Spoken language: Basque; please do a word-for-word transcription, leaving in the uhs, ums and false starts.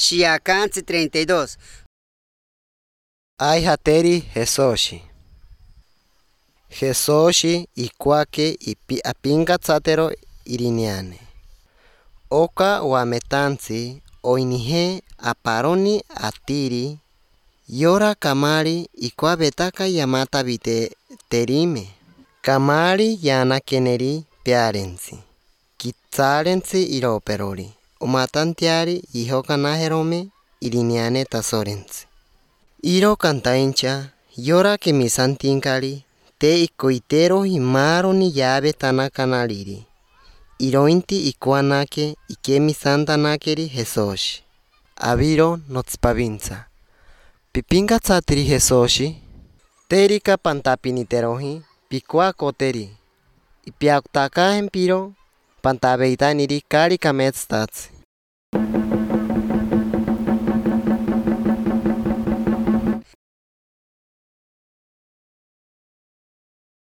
Xiacanzi treinta y dos. Ay hateri Jesoshi. Jesoshi ikwake ipi apinga tsatero iriniane. Oka wametanzi oinihe aparoni atiri. Yora kamari ikwa betaka yamata bite terime. Kamari yana keneri piarenzi. Kitsarenzi iroperori. Umatantiari ihoka naherome iriniane tasorenzi. Iro kantaincha yora kemisantinkari te ikoitero himaro ni yabe tanakanariri. Irointi ikuanake ikemisantanakeri Jesoshi. Abiro notspavinza. Pipinga tsatiri Jesoshi. Terika pantapiniterohi pikwa koteri. Ipiaktaka empiro pantabeitaniri kari kametstatsi.